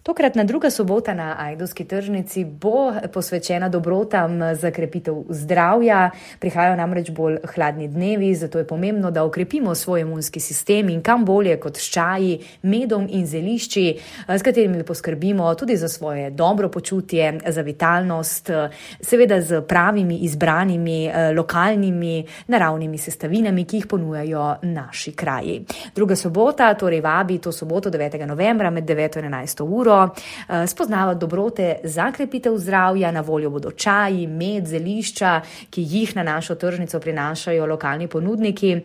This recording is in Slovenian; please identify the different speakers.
Speaker 1: Tokratna druga sobota na Ajdovski tržnici bo posvečena dobrotam za krepitev zdravja. Prihajajo namreč bolj hladni dnevi, zato je pomembno, da okrepimo svoj imunski sistem in kam bolje kot s čaji, medom in zelišči, s katerimi poskrbimo tudi za svoje dobro počutje, za vitalnost, seveda z pravimi, izbranimi, lokalnimi, naravnimi sestavinami, ki jih ponujajo naši kraji. Druga sobota torej vabi to soboto 9. novembra med 9. in 11. uro spoznavati dobrote za krepitev zdravja. Na voljo bodo čaji, med, zelišča, ki jih na našo tržnico prinašajo lokalni ponudniki.